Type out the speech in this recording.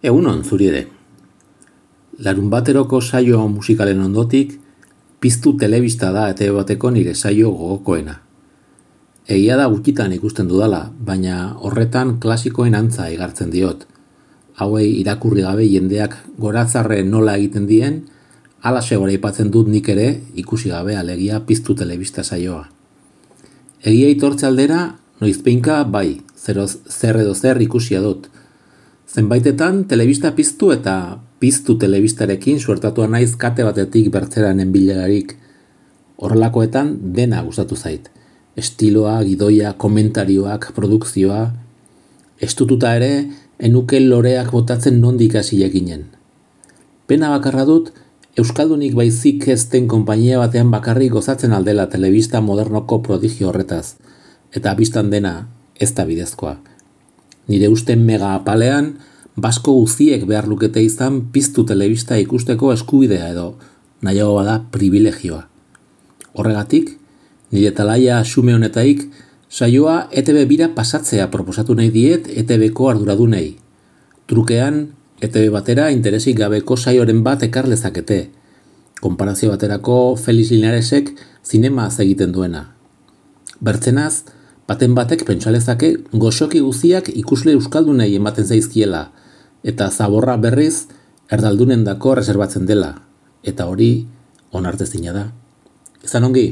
Egunon, zuri ere. Larunbateroko saio musikalen ondotik, Piztu telebista da ETV bateko nire saio gogokoena. Egia da gutxitan ikusten dudala, baina horretan klasikoen antza igartzen diot. Hauei irakurri gabe jendeak goratzarre nola egiten dien, halaxe goraipatzen dut nik ere ikusi gabe alegia Piztu telebista saioa. Egia aitortze aldera, noizbeinka bai, zer edo zer ikusia dut. Zenbaitetan telebista piztu eta Piztu telebistarekin suertatua naiz kate batetik bertzeranen bilerarik. Horrelakoetan dena gustatu zait. Estiloa, gidoia, komentarioak, produkzioa. Estututa ere, enuke loreak botatzen nondik hasi jakinen. Pena bakarra dut, Euskaldunik baizik ez den konpainia batean bakarrik gozatzen aldela telebista modernoko prodigio horretaz. Eta bistan dena ez da bidezkoa. Nire uste mega apalean, basko guziek behar lukete izan Piztu telebista ikusteko eskubidea edo, nahiago bada privilegioa. Horregatik, nire talaia xume honetaik, saioa ETV bira pasatzea proposatu nahi diet ETVko arduradunei. Trukean, ETV batera interesik gabeko saioren bat ekar lezakete. Konparazio baterako Felix Linaresek zinemaz egiten duena. Bertzenaz, baten batek pentsalezake goxoki guziak ikusle euskaldunei ematen zaizkiela, eta zaborra berriz erdaldunendako reserbatzen dela, eta hori onartezina da. Izan ongi?